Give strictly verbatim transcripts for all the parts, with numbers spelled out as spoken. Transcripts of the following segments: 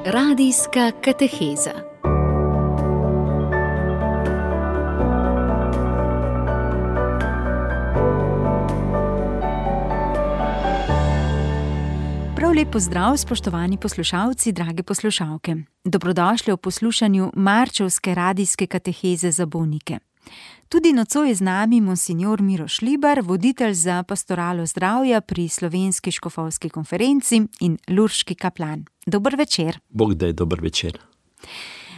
Radijska kateheza. Prav lep pozdrav, spoštovani poslušalci, drage poslušalke. Dobrodošli v poslušanju marčevske radijske kateheze za bolnike. Tudi nocoj je z nami monsignor Miro Šlibar, voditelj za pastoralo zdravja pri Slovenski škofovski konferenci in lurški kaplan. Dober večer. Bog daj, dober večer.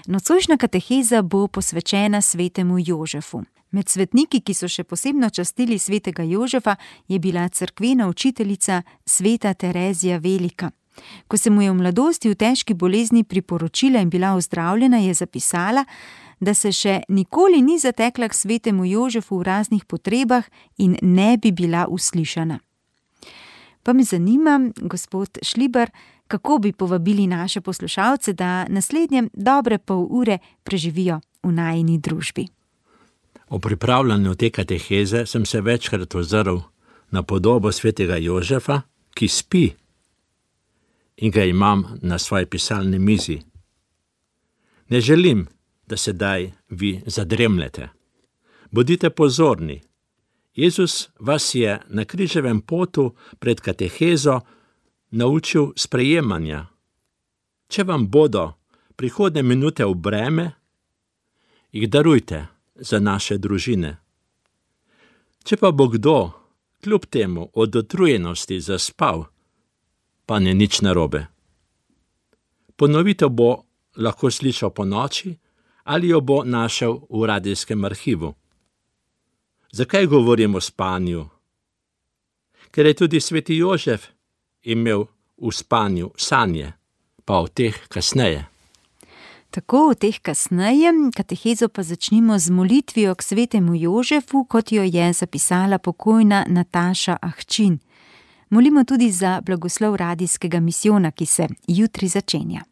Nocojšnja kateheza bo posvečena svetemu Jožefu. Med svetniki, ki so še posebno častili svetega Jožefa, je bila cerkvena učiteljica sveta Terezija Velika. Ko se mu je v mladosti v težki bolezni priporočila in bila ozdravljena, je zapisala, da se še nikoli ni zatekla k svetemu Jožefu v raznih potrebah in ne bi bila uslišana. Pa me zanima, gospod Šlibar, kako bi povabili naše poslušalce, da naslednje dobre pol ure preživijo v najini družbi. O pripravljanju te kateheze sem se večkrat ozrl na podobo svetega Jožefa, ki spi, in ga imam na svoji pisalni mizi. Ne želim, da sedaj vi zadremljete. Bodite pozorni. Jezus vas je na križevem potu pred katehezo naučil sprejemanja. Če vam bodo prihodne minute v breme, jih darujte za naše družine. Če pa bo kdo kljub temu od utrujenosti zaspal, pa ni nič narobe. Ponovitev bo lahko slišal po noči ali jo bo našel v radijskem arhivu. Zakaj govorim o spanju? Ker je tudi sveti Jožef imel v spanju sanje, pa o teh kasneje. Tako, o teh kasneje, katehezo pa začnimo z molitvijo k svetemu Jožefu, kot jo je zapisala pokojna Nataša Ahčin. Molimo tudi za blagoslov radijskega misijona, ki se jutri začenja.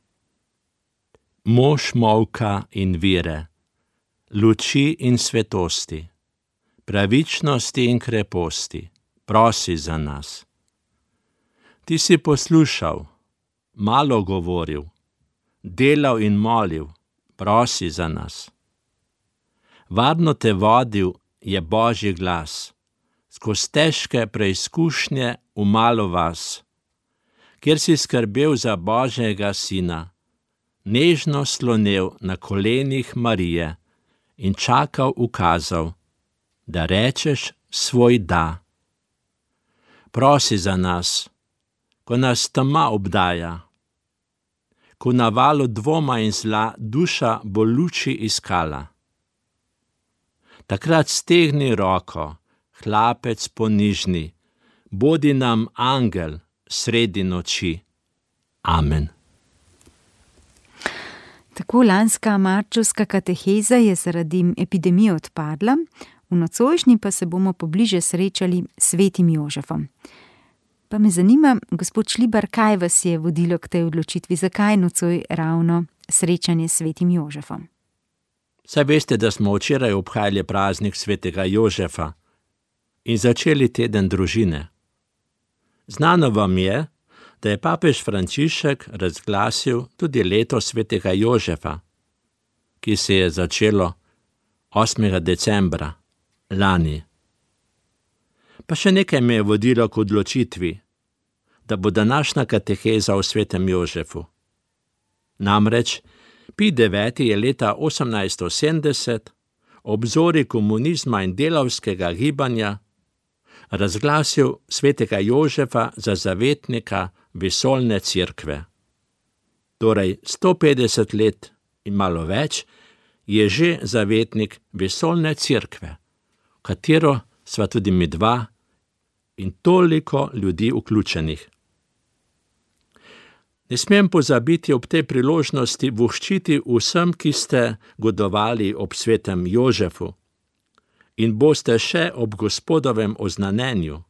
Mož molka in vire, luči in svetosti, pravičnosti in kreposti, prosi za nas. Ti si poslušal, malo govoril, delal in molil, prosi za nas. Varno te vodil je Božji glas, skozi težke preizkušnje v malo vas, kjer si skrbel za Božjega sina, nežno slonel na kolenih Marije in čakal ukazal, da rečeš svoj da. Prosi za nas, ko nas tema obdaja, ko na valu dvoma in zla duša bo luči iskala. Takrat stegni roko, hlapec ponižni, bodi nam angel sredi noči. Amen. Tako lanska marčevska kateheza je zaradi epidemije odpadla, v nocojšnji pa se bomo pobliže srečali s svetim Jožefom. Pa me zanima, gospod Šlibar, kaj vas je vodilo k tej odločitvi, zakaj nocoj ravno srečanje s svetim Jožefom? Saj veste, da smo včeraj obhajali praznik svetega Jožefa in začeli teden družine. Znano vam je, da je papež Frančišek razglasil tudi leto svetega Jožefa, ki se je začelo osmega decembra lani. Pa še nekaj me je vodilo k odločitvi, da bo današnja kateheza o svetem Jožefu. Namreč Pij deveti je leta osemnajststo sedemdeset ob zori komunizma in delavskega gibanja razglasil svetega Jožefa za zavetnika vesoljne cerkve. Torej sto petdeset let in malo več je že zavetnik vesoljne cerkve, v katero sva tudi mi dva in toliko ljudi vključenih. Ne smem pozabiti ob tej priložnosti voščiti vsem, ki ste godovali ob svetem Jožefu in boste še ob Gospodovem oznanenju.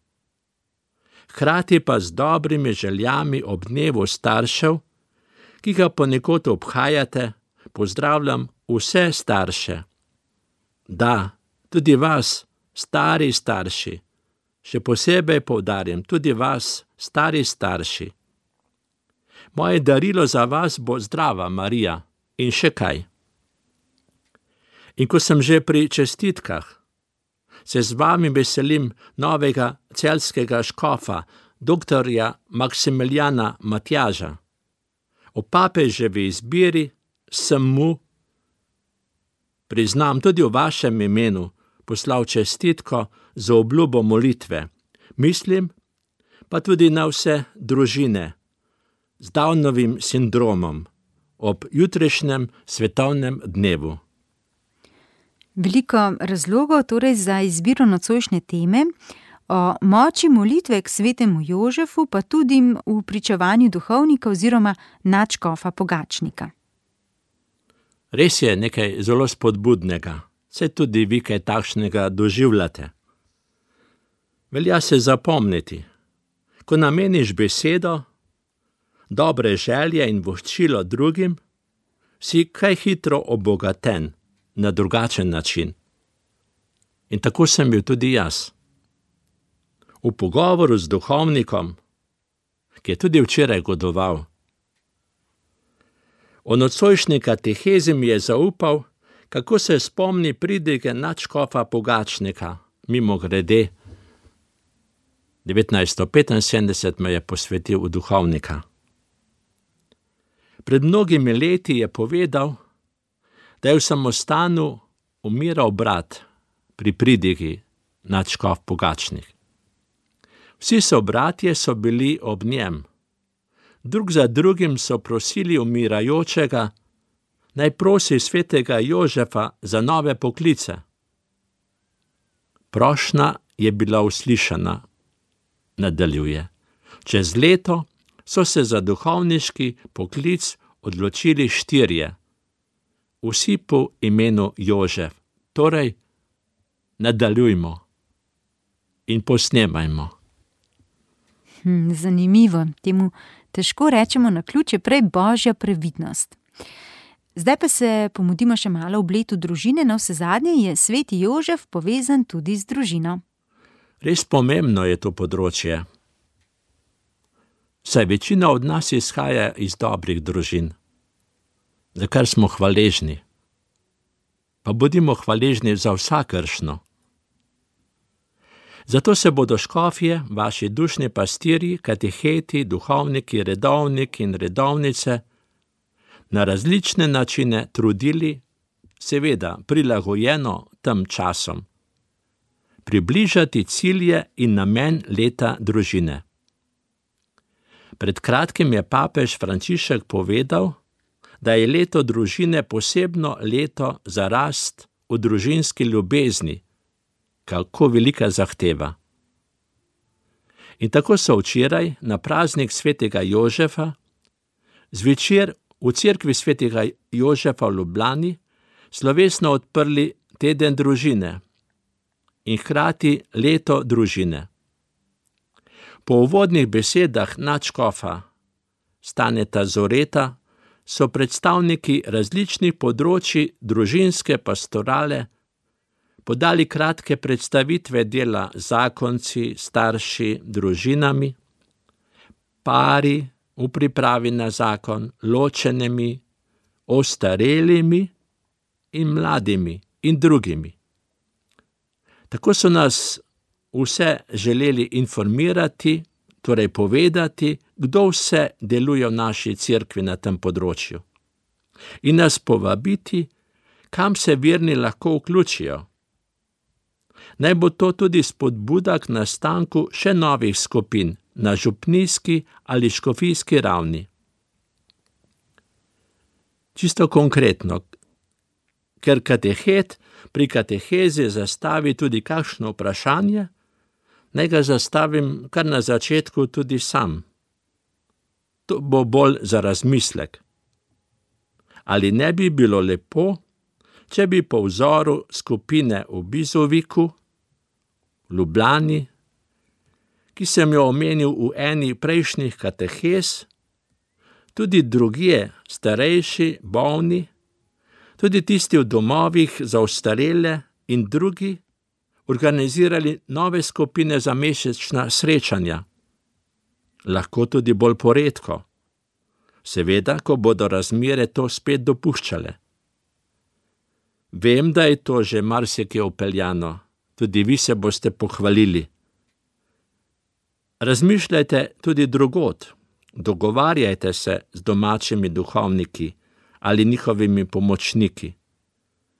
Hkrati pa z dobrimi željami ob dnevu staršev, ki ga ponekod obhajate, pozdravljam vse starše. Da, tudi vas, stari starši, še posebej poudarjam, tudi vas, stari starši. Moje darilo za vas bo zdrava Marija in še kaj. In ko sem že pri čestitkah, se z vami veselim novega celjskega škofa, doktorja Maksimiljana Matjaža. O papeževi izbiri sem mu, priznam tudi v vašem imenu, poslal čestitko za obljubo molitve. Mislim pa tudi na vse družine z Downovim sindromom ob jutrišnjem svetovnem dnevu. Veliko razlogov torej za izbiro nocojšnje teme, o moči molitve k svetemu Jožefu pa tudi v pričevanju duhovnika oziroma nadškofa Pogačnika. Res je nekaj zelo spodbudnega, saj tudi vi kaj takšnega doživljate. Velja se zapomniti, ko nameniš besedo, dobre želje in voščilo drugim, si kaj hitro obogaten na drugačen način. In tako sem bil tudi jaz. V pogovoru z duhovnikom, ki je tudi včeraj godoval, o nocojšnji katehezi mi je zaupal, kako se spomni pridige nadškofa Pogačnika, mimogrede, devetnajststo petinsedemdeset me je posvetil v duhovnika. Pred mnogimi leti je povedal, da je v samostanu umiral brat pri pridigi nadškof Pogačnik. Vsi sobratje so bili ob njem. Drug za drugim so prosili umirajočega, naj prosi svetega Jožefa za nove poklice. Prošnja je bila uslišana, nadaljuje. Čez leto so se za duhovniški poklic odločili štirje, vsi po imenu Jožef. Torej, nadaljujmo in posnemajmo. Hm, zanimivo, temu težko rečemo naključje, prej božja previdnost. Zdaj pa se pomudimo še malo v bletu družine, na vse zadnje je sveti Jožef povezan tudi z družino. Res pomembno je to področje. Saj večina od nas izhaja iz dobrih družin, za kar smo hvaležni. Pa bodimo hvaležni za vsakršno. Zato se bodo škofje, vaši dušni pastirji, kateheti, duhovniki, redovniki in redovnice na različne načine trudili, seveda prilagojeno tem časom, približati cilje in namen leta družine. Pred kratkim je papež Frančišek povedal, da je leto družine posebno leto za rast v družinski ljubezni. Kako velika zahteva. In tako so včeraj na praznik svetega Jožefa zvečer v cerkvi svetega Jožefa v Ljubljani slovesno odprli teden družine in hkrati leto družine. Po uvodnih besedah nadškofa Staneta Zoreta so predstavniki različnih področji družinske pastorale podali kratke predstavitve dela zakonci, starši, družinami, pari v pripravi na zakon, ločenimi, ostarelimi in mladimi in drugimi. Tako so nas vse želeli informirati, torej povedati, kdo vse deluje v naši cerkvi na tem področju. In nas povabiti, kam se verni lahko vključijo. Naj bo to tudi spodbuda k nastanku še novih skupin na župnijski ali škofijski ravni. Čisto konkretno, ker katehet pri katehezi zastavi tudi kakšno vprašanje, naj ga zastavim kar na začetku tudi sam. To bo bolj za razmislek. Ali ne bi bilo lepo, če bi po vzoru skupine v Bizoviku, v Ljubljani, ki sem jo omenil v eni prejšnjih katehez, tudi drugje, starejši, bolni, tudi tisti v domovih za ostarele in drugi, organizirali nove skupine za mesečna srečanja, lahko tudi bolj poredko, seveda, ko bodo razmere to spet dopuščale. Vem, da je to že marsikje upeljano, tudi vi se boste pohvalili. Razmišljajte tudi drugod, dogovarjajte se z domačimi duhovniki ali njihovimi pomočniki.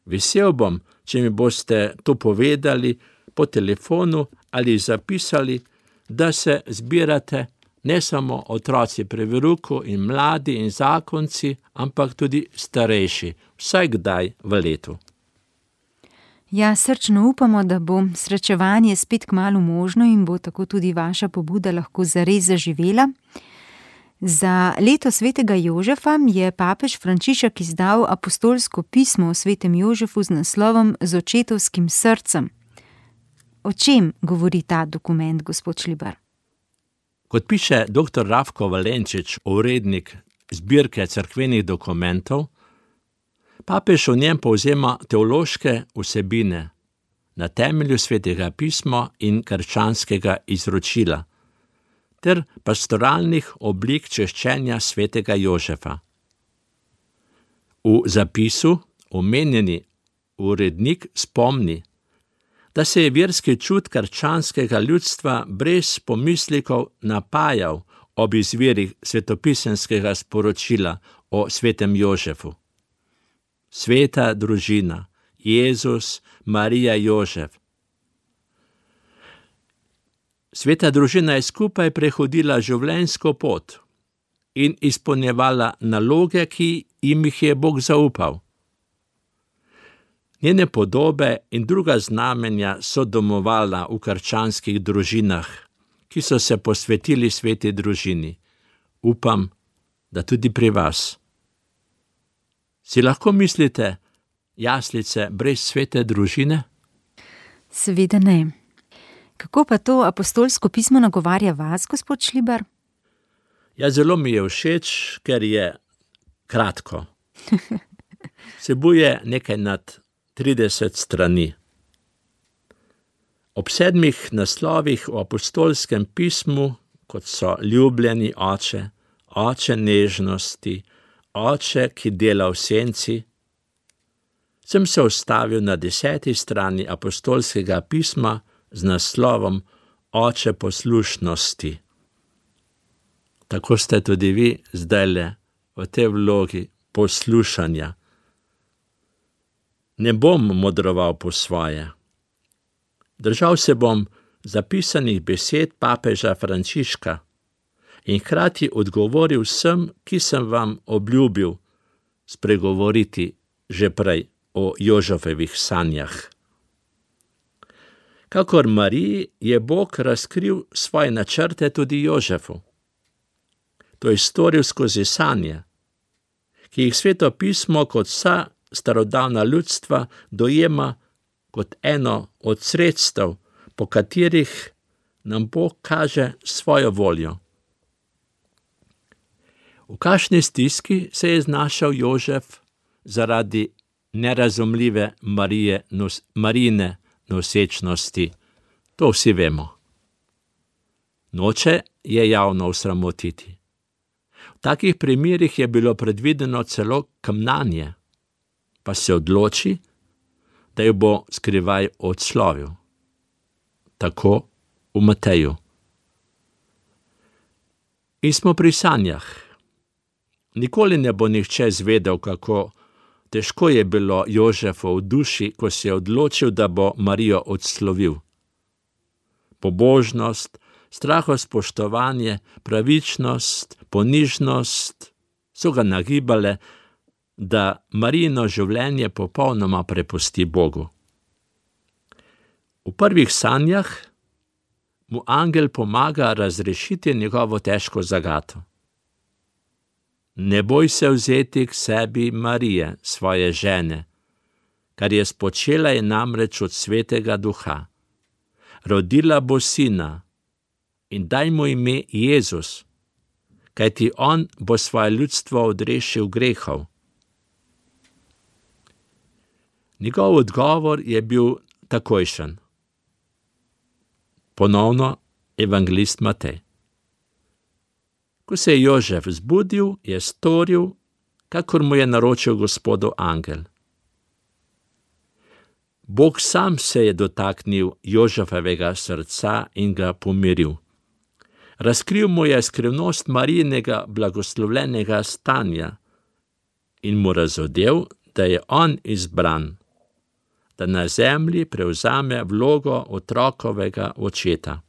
Vesel bom, če mi boste to povedali po telefonu ali zapisali, da se zbirate ne samo otroci pri veruku in mladi in zakonci, ampak tudi starejši, vsaj kdaj v letu. Ja, srčno upamo, da bo srečevanje spet kmalu možno in bo tako tudi vaša pobuda lahko zares zaživela. Za leto svetega Jožefa je papež Frančišek izdal apostolsko pismo o svetem Jožefu z naslovom Z očetovskim srcem. O čem govori ta dokument, gospod Šlibar? Kot piše doktor Rafko Valenčič, urednik zbirke cerkvenih dokumentov, papež v njem povzema teološke vsebine na temelju svetega pisma in krščanskega izročila ter pastoralnih oblik češčenja svetega Jožefa. V zapisu omenjeni urednik spomni, da se je verski čut krščanskega ljudstva brez pomislikov napajal ob izvirih svetopisemskega sporočila o svetem Jožefu. Sveta družina, Jezus, Marija, Jožef. Sveta družina je skupaj prehodila življenjsko pot in izpolnjevala naloge, ki jim jih je Bog zaupal. Njene podobe in druga znamenja so domovala v krščanskih družinah, ki so se posvetili sveti družini. Upam, da tudi pri vas. Si lahko mislite jaslice brez svete družine? Seveda ne. Kako pa to apostolsko pismo nagovarja vas, gospod Šlibar? Ja, zelo mi je všeč, ker je kratko. Vsebuje nekaj nad trideset strani. Ob sedmih naslovih v apostolskem pismu, kot so ljubljeni oče, oče nežnosti, oče, ki dela v senci, sem se ustavil na deseti strani apostolskega pisma z naslovom Oče poslušnosti. Tako ste tudi vi zdajle v tej vlogi poslušanja. Ne bom modroval po svoje. Držal se bom zapisanih besed papeža Frančiška in hkrati odgovoril vsem, ki sem vam obljubil spregovoriti že prej o Jožefovih sanjah. Kakor Mariji je Bog razkril svoje načrte tudi Jožefu. To je storil skozi sanje, ki jih sveto pismo kot vsa starodavna ljudstva dojema kot eno od sredstev, po katerih nam Bog kaže svojo voljo. V kakšni stiski se je znašel Jožef zaradi nerazumljive Marije, nos, Marijine nosečnosti, to vsi vemo. Noče je javno osramotiti. V takih primerih je bilo predvideno celo kamnanje, pa se odloči, da jo bo skrivaj odslovil. Tako v Mateju. In smo pri sanjah. Nikoli ne bo nihče zvedel, kako težko je bilo Jožefu v duši, ko se je odločil, da bo Marijo odslovil. Pobožnost, strahospoštovanje, pravičnost, ponižnost so ga nagibale, da Marijino življenje popolnoma prepusti Bogu. V prvih sanjah mu angel pomaga razrešiti njegovo težko zagato. Ne boj se vzeti k sebi Marije, svoje žene, kar je spočela je namreč od svetega duha. Rodila bo sina in daj mu ime Jezus, kajti on bo svoje ljudstvo odrešil grehov. Njegov odgovor je bil takojšen. Ponovno evangelist Matej. Ko se je Jožef zbudil, je storil, kakor mu je naročil Gospodov angel. Bog sam se je dotaknil Jožefovega srca in ga pomiril. Razkril mu je skrivnost Marijinega blagoslovljenega stanja in mu razodel, da je on izbran, da na zemlji prevzame vlogo otrokovega očeta.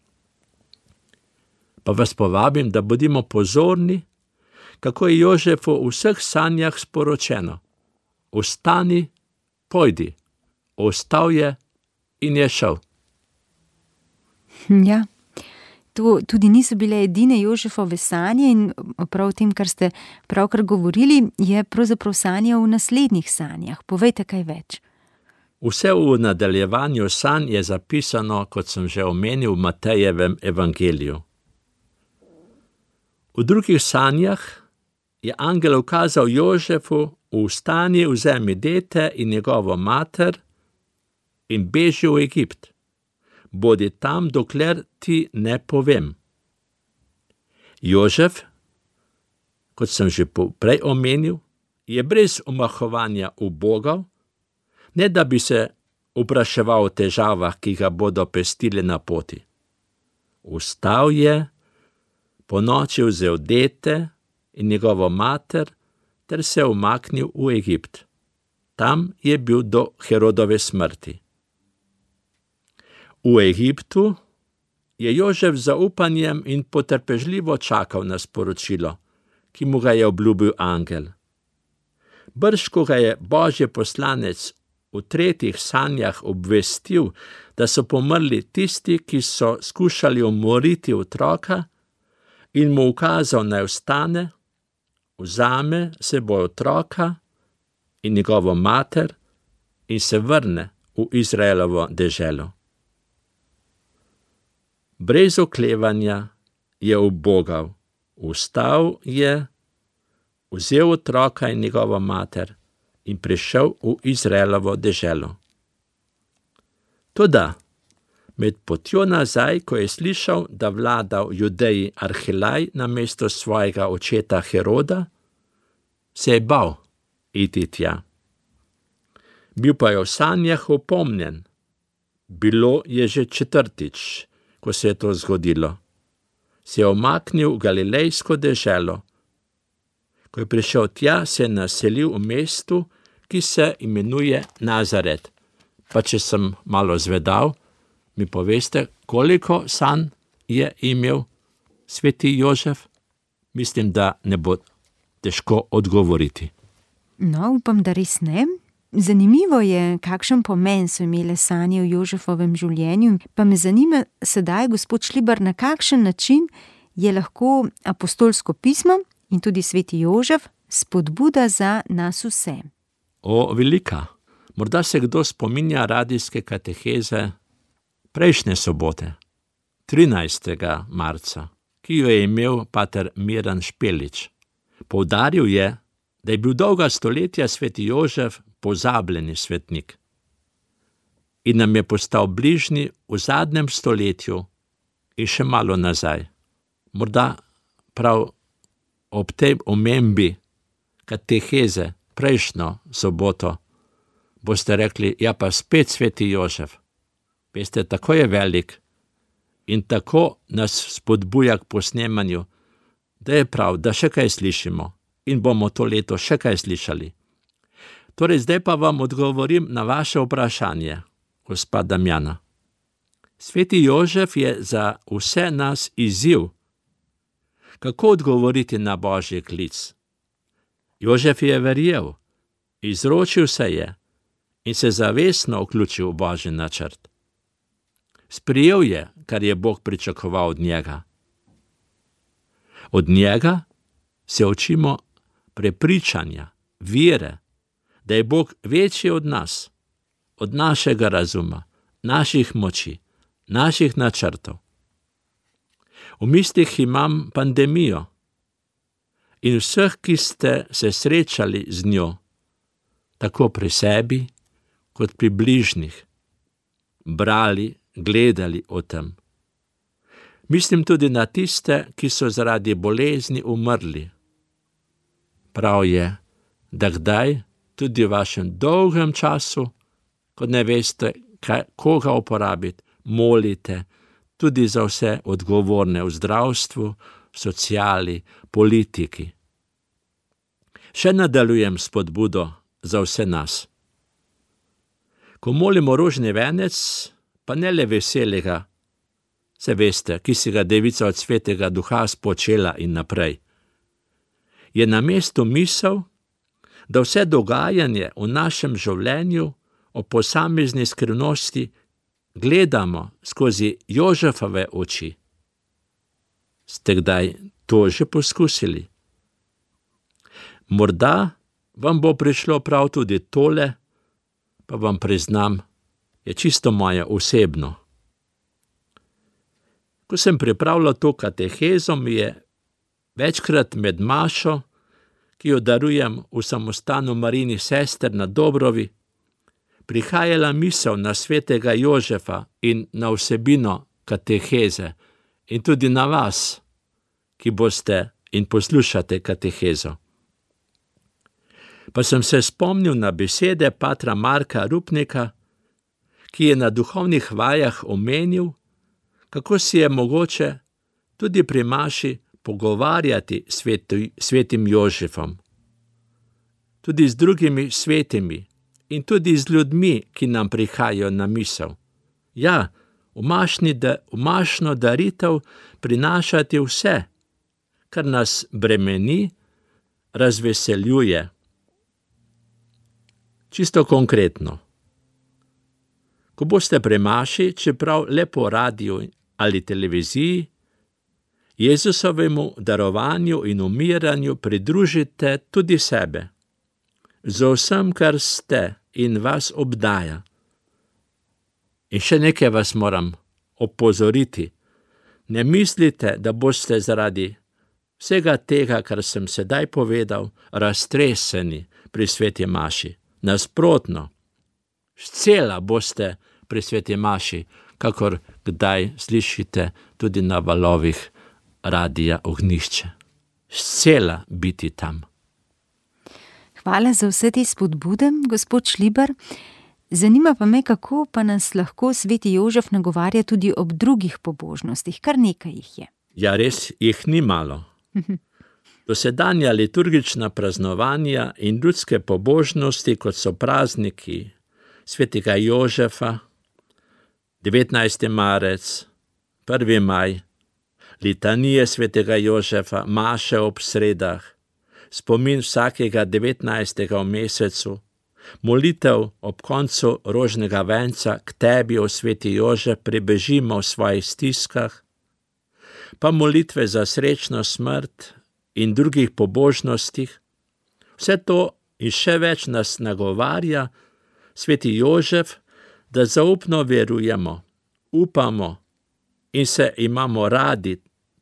Pa vas povabim, da bodimo pozorni, kako je Jožefu v vseh sanjah sporočeno: Vstani, pojdi. Ostal je in je šel. Ja, to tudi niso bile edine Jožefove sanje in prav tem, kar ste pravkar govorili, je pravzaprav sanjal v naslednjih sanjah. Povejte kaj več. Vse v nadaljevanju sanj je zapisano, kot sem že omenil, v Matejevem evangeliju. V drugih sanjah je angel ukazal Jožefu: Vstani, vzemi dete in njegovo mater in beži v Egipt. Bodi tam, dokler ti ne povem. Jožef, kot sem že prej omenil, je brez omahovanja ubogal, ne da bi se vpraševal o težavah, ki ga bodo pestile na poti. Vstal je, ponoči vzel dete in njegovo mater ter se umaknil v Egipt. Tam je bil do Herodove smrti. V Egiptu je Jožef z zaupanjem in potrpežljivo čakal na sporočilo, ki mu ga je obljubil angel. Brž, ko ga je Božji poslanec v tretjih sanjah obvestil, da so pomrli tisti, ki so skušali umoriti otroka, in mu ukazal, naj vstane, vzame seboj otroka in njegovo mater in se vrne v Izraelovo deželo. Brez oklevanja je ubogal, vstal je, vzel otroka in njegovo mater in prišel v Izraelovo deželo. Toda med potjo nazaj, ko je slišal, da vlada v Judeji Arhelaj namesto svojega očeta Heroda, se je bal iti tja. Bil pa je v sanjah opomnjen. Bilo je že četrtič, ko se je to zgodilo. Se je omaknil v galilejsko deželo. Ko je prišel tja, se je naselil v mestu, ki se imenuje Nazaret. Pa če sem malo zvedal, mi poveste, koliko sanj je imel sveti Jožef? Mislim, da ne bo težko odgovoriti. No, upam, da res ne. Zanimivo je, kakšen pomen so imele sanje v Jožefovem življenju, pa me zanima sedaj, gospod Šlibar, na kakšen način je lahko apostolsko pismo in tudi sveti Jožef spodbuda za nas vse. O, velika. Morda se kdo spominja radijske kateheze prejšnje sobote, trinajstega marca, ki jo je imel pater Miran Špelič. Poudaril je, da je bil dolga stoletja sveti Jožef pozabljeni svetnik in nam je postal bližnji v zadnjem stoletju in še malo nazaj. Morda prav ob tej omembi kateheze prejšnjo soboto boste rekli, ja pa spet sveti Jožef. Veste, tako je velik in tako nas spodbuja k posnemanju, da je prav, da še kaj slišimo in bomo to leto še kaj slišali. Torej, zdaj pa vam odgovorim na vaše vprašanje, gospa Damjana. Sveti Jožef je za vse nas izziv, kako odgovoriti na Božji klic. Jožef je verjel, izročil se je in se zavestno vključil v Božji načrt. Sprijel je, kar je Bog pričakoval od njega. Od njega se učimo prepričanja, vere, da je Bog večji od nas, od našega razuma, naših moči, naših načrtov. V mislih imam pandemijo in vseh, ki ste se srečali z njo, tako pri sebi, kot pri bližnjih, brali, gledali o tem. Mislim tudi na tiste, ki so zaradi bolezni umrli. Prav je, da kdaj, tudi v vašem dolgem času, ko ne veste, kaj, koga uporabiti, molite tudi za vse odgovorne v zdravstvu, sociali, politiki. Še nadaljujem spodbudo za vse nas. Ko molimo rožni venec, pa ne le veselega, se veste, ki si ga devica od svetega duha spočela in naprej, je na mestu misel, da vse dogajanje v našem življenju o posamezni skrivnosti gledamo skozi Jožefove oči. Ste kdaj to že poskusili? Morda vam bo prišlo prav tudi tole, pa vam priznam, je čisto moje osebno. Ko sem pripravljal to katehezo, mi je večkrat med mašo, ki jo darujem v samostanu Marijinih sester na Dobrovi, prihajala misel na svetega Jožefa in na vsebino kateheze in tudi na vas, ki boste in poslušate katehezo. Pa sem se spomnil na besede patra Marka Rupnika, ki je na duhovnih vajah omenil, kako si je mogoče tudi pri maši pogovarjati sveti, svetim Jožefom, tudi z drugimi svetimi in tudi z ljudmi, ki nam prihajajo na misel. Ja, v mašni da, v mašno daritev prinašati vse, kar nas bremeni, razveseljuje. Čisto konkretno. Ko boste pri maši, čeprav le po radiju ali televiziji, Jezusovemu darovanju in umiranju pridružite tudi sebe, z vsem, kar ste in vas obdaja. In še nekaj vas moram opozoriti. Ne mislite, da boste zaradi vsega tega, kar sem sedaj povedal, raztreseni pri sveti maši. Nasprotno, scela boste pri sveti maši, kakor kdaj slišite tudi na valovih radija Ognjišče. Scela biti tam. Hvala za vse te spodbude, gospod Šlibar. Zanima pa me, kako pa nas lahko sveti Jožef nagovarja tudi ob drugih pobožnostih. Kar nekaj jih je. Ja, res jih ni malo. Dosedanja liturgična praznovanja in ljudske pobožnosti, kot so prazniki svetega Jožefa, devetnajsti marec, prvi maj, litanije svetega Jožefa, maše ob sredah, spomin vsakega devetnajstega v mesecu, molitev ob koncu rožnega venca k tebi, o sveti Jožef, pribežimo v svojih stiskah, pa molitve za srečno smrt in drugih pobožnostih. Vse to in še več nas nagovarja sveti Jožef, da zaupno verujemo, upamo in se imamo radi,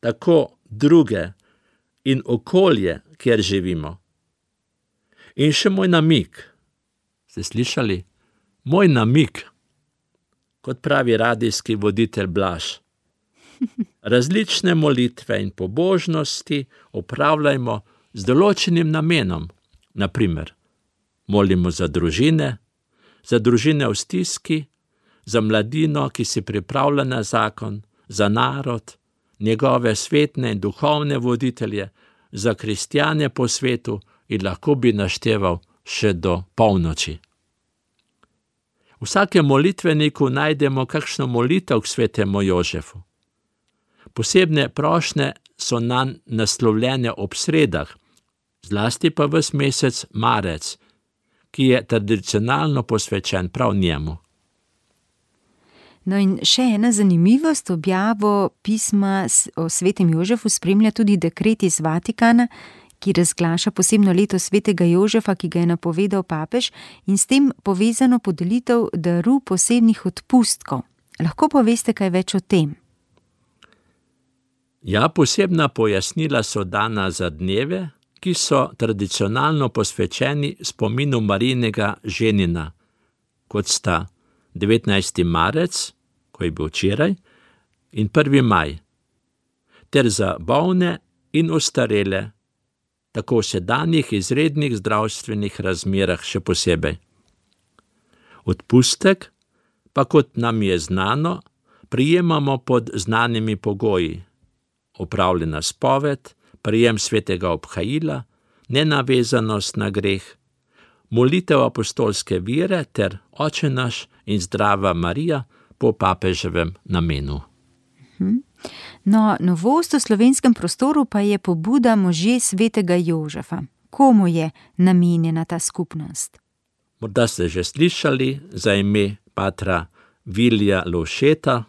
tako druge in okolje, kjer živimo. In še moj namig. Ste slišali? Moj namig, kot pravi radijski voditelj Blaž. Različne molitve in pobožnosti opravljajmo z določenim namenom. Naprimer, molimo za družine, za družine v stiski, za mladino, ki si pripravlja na zakon, za narod, njegove svetne in duhovne voditelje, za kristjane po svetu in lahko bi našteval še do polnoči. V vsakem molitveniku najdemo kakšno molitev k svetemu Jožefu. Posebne prošnje so nanj naslovljene ob sredah, zlasti pa ves mesec marec, ki je tradicionalno posvečen prav njemu. No in še ena zanimivost, objavo pisma o svetem Jožefu spremlja tudi dekret iz Vatikana, ki razglaša posebno leto svetega Jožefa, ki ga je napovedal papež, in s tem povezano podelitev daru posebnih odpustkov. Lahko poveste kaj več o tem? Ja, posebna pojasnila so dana za dneve, ki so tradicionalno posvečeni spominu Marijinega ženina, kot sta devetnajsti marec, ko je bil včeraj, in prvi maj, ter za bolne in ostarele, tako v sedanjih izrednih zdravstvenih razmerah še posebej. Odpustek pa, kot nam je znano, prijemamo pod znanimi pogoji: opravljena spoved, prijem svetega obhajila, nenavezanost na greh, molitev apostolske vere ter Oče naš in Zdrava Marija po papeževem namenu. No, novost v slovenskem prostoru pa je pobuda Možje svetega Jožefa. Komu je namenjena ta skupnost? Morda ste že slišali za ime patra Vilija Lovšeta.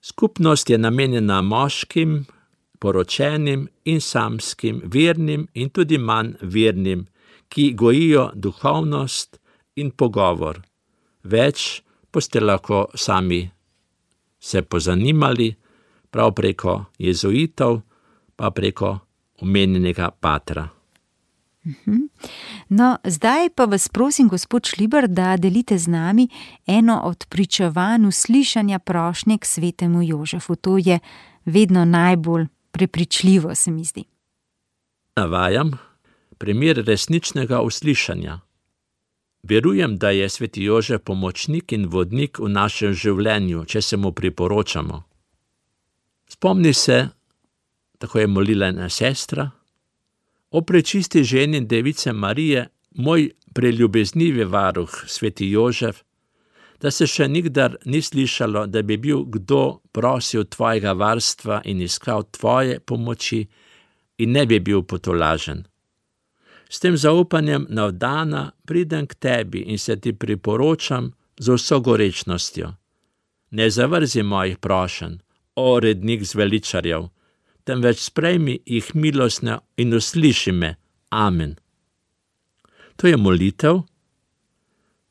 Skupnost je namenjena moškim, poročenim in samskim, vernim in tudi manj vernim, ki gojijo duhovnost in pogovor. Več boste lahko sami se pozanimali, prav preko jezuitov, pa preko omenjenega patra. No, zdaj pa vas prosim, gospod Šlibar, da delite z nami eno od pričevanj uslišanja prošnje k svetemu Jožefu. To je vedno najbolj prepričljivo, se mi zdi. Navajam primer resničnega uslišanja. Verujem, da je sveti Jožef pomočnik in vodnik v našem življenju, če se mu priporočamo. Spomni se, tako je molila ena sestra: o prečisti ženi Device Marije, moj preljubeznivi varuh, sveti Jožef, da se še nikdar ni slišalo, da bi bil kdo prosil tvojega varstva in iskal tvoje pomoči in ne bi bil potolažen. S tem zaupanjem navdana pridem k tebi in se ti priporočam z vso gorečnostjo. Ne zavrzi mojih prošenj, o rednik zveličarjev, temveč sprejmi jih milostno in usliši me. Amen. To je molitev,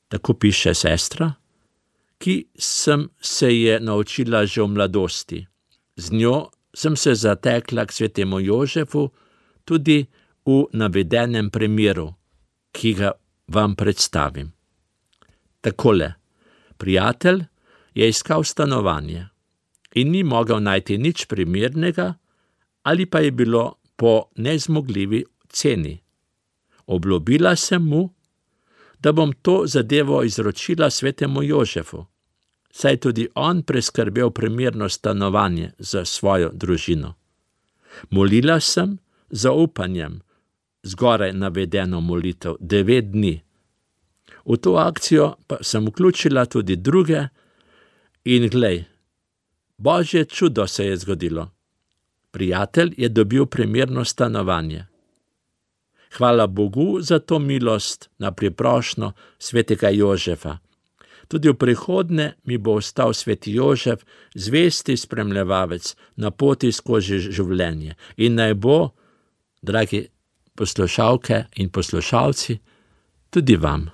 tako piše sestra, ki sem se je naučila že v mladosti. Z njo sem se zatekla k svetemu Jožefu tudi v navedenem primeru, ki ga vam predstavim. Takole, prijatelj je iskal stanovanje in ni mogel najti nič primernega, ali pa je bilo po nezmogljivi ceni. Obljubila sem mu, da bom to zadevo izročila svetemu Jožefu, saj tudi on preskrbel primerno stanovanje za svojo družino. Molila sem z upanjem, zgoraj navedeno molitev, devet dni. V to akcijo pa sem vključila tudi druge in glej, Božje čudo se je zgodilo. Prijatelj je dobil primerno stanovanje. Hvala Bogu za to milost na priprošnjo svetega Jožefa. Tudi v prihodnje mi bo ostal sveti Jožef zvesti spremljevalec na poti skozi življenje. In naj bo, dragi poslušalke in poslušalci, tudi vam.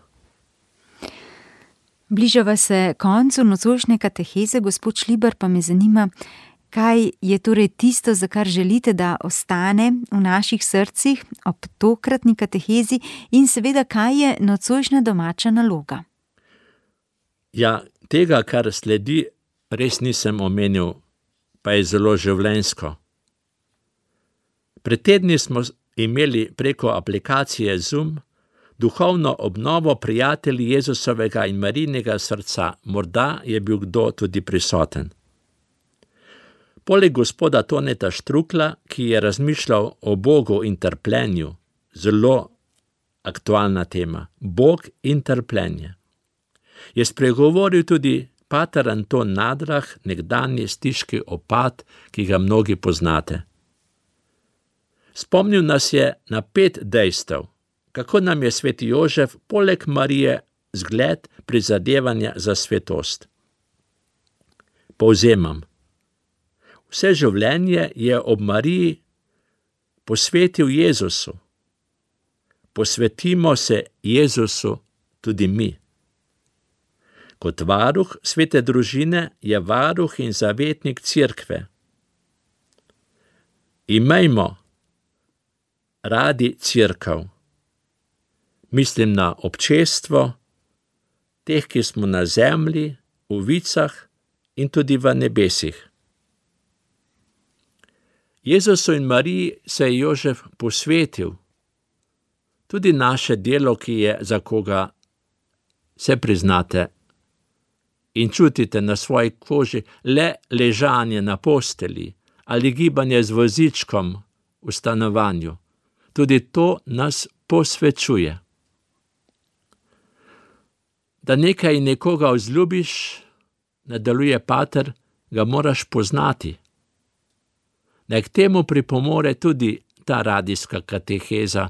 Bližava se koncu nocojšnje kateheze, gospod Šlibar, pa me zanima, kaj je torej tisto, za kar želite, da ostane v naših srcih ob tokratni katehezi in seveda, kaj je nocojšnja domača naloga? Ja, tega, kar sledi, res nisem omenil, pa je zelo življenjsko. Pred tedni smo imeli preko aplikacije Zoom duhovno obnovo prijatelji Jezusovega in Marijinega srca. Morda je bil kdo tudi prisoten. Poleg gospoda Toneta Štrukla, ki je razmišljal o Bogu in trpljenju, zelo aktualna tema, Bog in trpljenje, je spregovoril tudi pater Anton Nadrah, nekdanji stiški opat, ki ga mnogi poznate. Spomnil nas je na pet dejstev, kako nam je sveti Jožef poleg Marije zgled prizadevanja za svetost. Povzemam. Vse življenje je ob Mariji posvetil Jezusu. Posvetimo se Jezusu tudi mi. Kot varuh svete družine je varuh in zavetnik cerkve. Imejmo radi cerkev. Mislim na občestvo, teh, ki smo na zemlji, v vicah in tudi v nebesih. Jezusu in Mariji se je Jožef posvetil. Tudi naše delo, ki je za koga se priznate in čutite na svoji koži le ležanje na posteli ali gibanje z vozičkom v stanovanju. Tudi to nas posvečuje. Da nekaj nekoga vzljubiš, nadaljuje pater, ga moraš poznati. Naj k temu pripomore tudi ta radijska kateheza,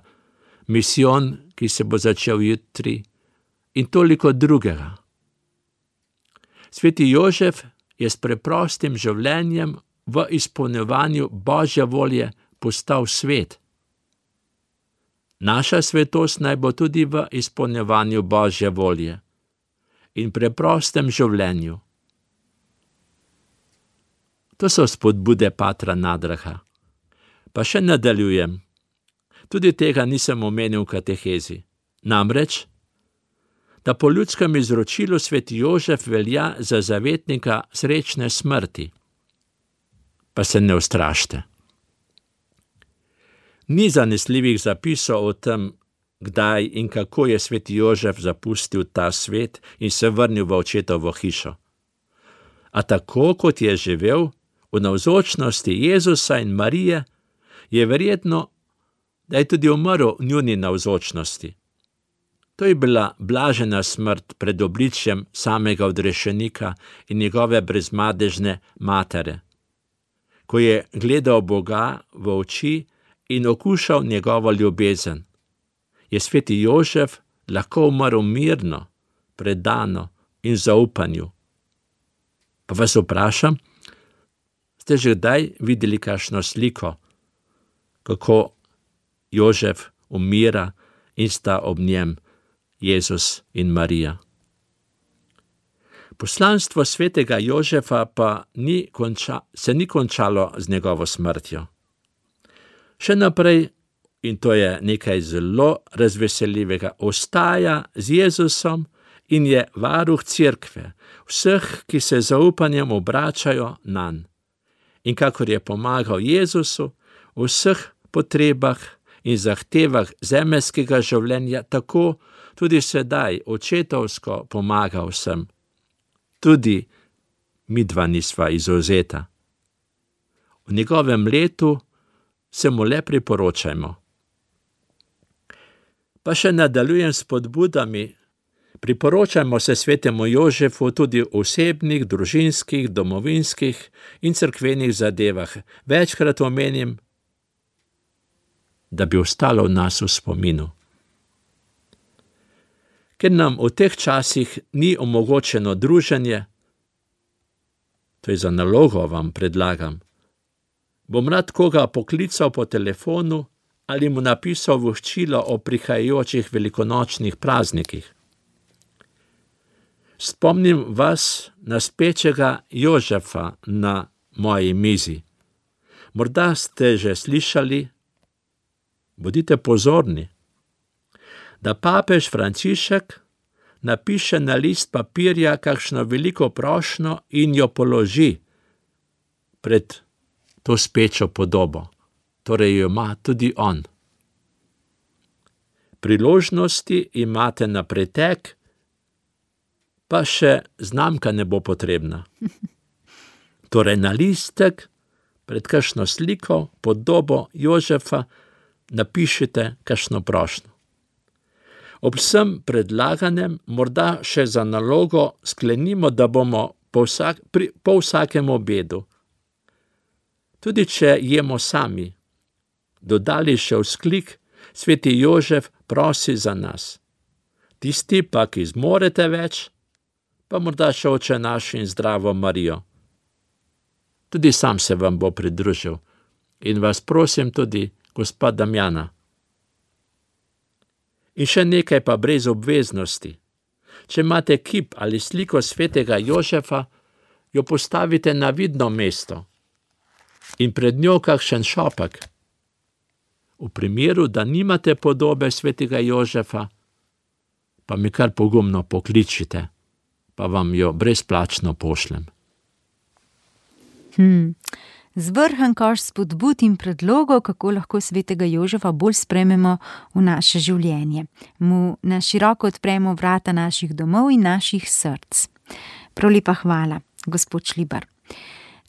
misijon, ki se bo začel jutri, in toliko drugega. Sveti Jožef je s preprostim življenjem v izpolnjevanju Božje volje postal svet. Naša svetost naj bo tudi v izpolnjevanju Božje volje in preprostem življenju. To so spodbude patra Nadraha. Pa še nadaljujem. Tudi tega nisem omenil v katehezi. Namreč, da po ljudskem izročilu sveti Jožef velja za zavetnika srečne smrti. Pa se ne ustrašte. Ni zanesljivih zapisov o tem, kdaj in kako je sveti Jožef zapustil ta svet in se vrnil v očetovo hišo. A tako, kot je živel, v navzočnosti Jezusa in Marije, je verjetno, da je tudi umrl v njuni navzočnosti. To je bila blažena smrt pred obličjem samega odrešenika in njegove brezmadežne matere, ko je gledal Boga v oči in okušal njegovo ljubezen. Je sveti Jožef lahko umrl mirno, predano in zaupanju. Pa vas vprašam, ste že kdaj videli kakšno sliko, kako Jožef umira in sta ob njem Jezus in Marija? Poslanstvo svetega Jožefa pa ni konča, se ni končalo z njegovo smrtjo. Še naprej, in to je nekaj zelo razveseljivega, ostaja z Jezusom in je varuh cerkve, vseh, ki se zaupanjem obračajo nanj. In kakor je pomagal Jezusu v vseh potrebah in zahtevah zemeljskega življenja, tako tudi sedaj očetovsko pomaga vsem. Tudi midva nisva izvzeta. V njegovem letu se mu le priporočajmo. Pa še nadaljujem s spodbudami. Priporočajmo se svetemu Jožefu tudi v osebnih, družinskih, domovinskih in cerkvenih zadevah. Večkrat omenim, da bi ostalo v nas v spominu. Ker nam v teh časih ni omogočeno druženje, to je za nalogo vam predlagam, bom rad koga poklical po telefonu ali mu napisal voščilo o prihajajočih velikonočnih praznikih. Spomnim vas na spečega Jožefa na moji mizi. Morda ste že slišali, bodite pozorni, da papež Frančišek napiše na list papirja kakšno veliko prošnjo in jo položi pred to spečo podobo. Torej jo ima tudi on. Priložnosti imate na pretek, pa še znamka ne bo potrebna. Torej na listek pred kakšno sliko, podobo Jožefa napišite kakšno prošnjo. Ob vsem predlaganem morda še za nalogo sklenimo, da bomo po, vsak, pri, po vsakem obedu, tudi če jemo sami, dodali še vzklik: sveti Jožef prosi za nas. Tisti pa, ki zmorete več, pa morda še Oče naš in Zdravo Marijo. Tudi sam se vam bo pridružil in vas prosim tudi gospa Damjana. In še nekaj pa brez obveznosti. Če imate kip ali sliko svetega Jožefa, jo postavite na vidno mesto in pred njo kakšen šopek. V primeru, da nimate podobe svetega Jožefa, pa mi kar pogumno pokličite, pa vam jo brezplačno pošljem. Hmm. zvrhan koš spodbud in predlogov, kako lahko svetega Jožefa bolj sprejmemo v naše življenje. Mu na široko odpremo vrata naših domov in naših src. Prav lepa hvala, gospod Šlibar.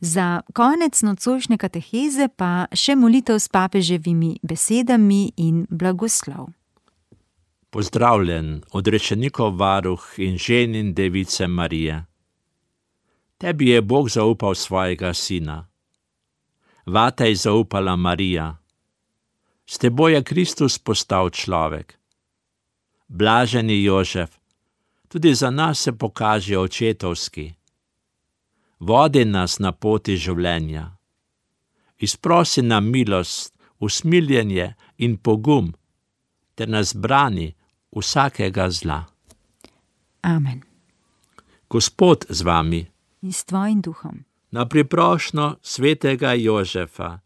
Za konec nocojšnje kateheze pa še molitev s papeževimi besedami in blagoslov. Pozdravljen, odrečenikov varuh in ženin device Marije. Tebi je Bog zaupal svojega sina. Vate je zaupala Marija. S teboj je Kristus postal človek. Blaženi Jožef, tudi za nas se pokaže očetovski. Vodi nas na poti življenja. Izprosi nam milost, usmiljenje in pogum, ter nas brani vsakega zla. Amen. Gospod z vami. In s tvojim duhom. Na priprošnjo svetega Jožefa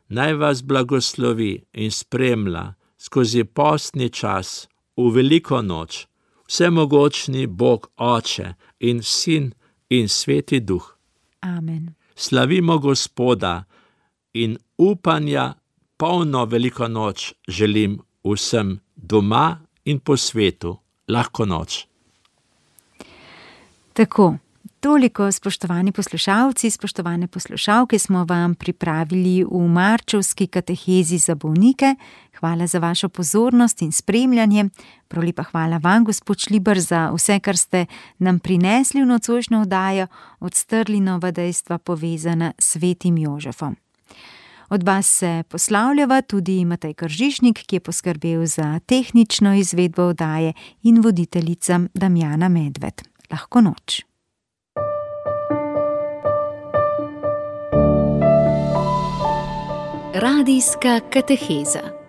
naj vas blagoslovi in spremlja skozi postni čas v veliko noč vsemogočni Bog Oče in Sin in Sveti Duh. Amen. Slavimo Gospoda in upanja polno veliko noč želim vsem doma in po svetu. Lahko noč. Tako. Toliko, spoštovani poslušalci, spoštovane poslušalke, smo vam pripravili v marčevski katehezi za bolnike. Hvala za vašo pozornost in spremljanje. Prav lepa hvala vam, gospod Šlibar, za vse, kar ste nam prinesli v nocojšnjo oddajo, odstrli nova dejstva povezana s svetim Jožefom. Od vas se poslavljava tudi Matej Kržišnik, ki je poskrbel za tehnično izvedbo oddaje, in voditeljica Damjana Medved. Lahko noč. Radijska kateheza.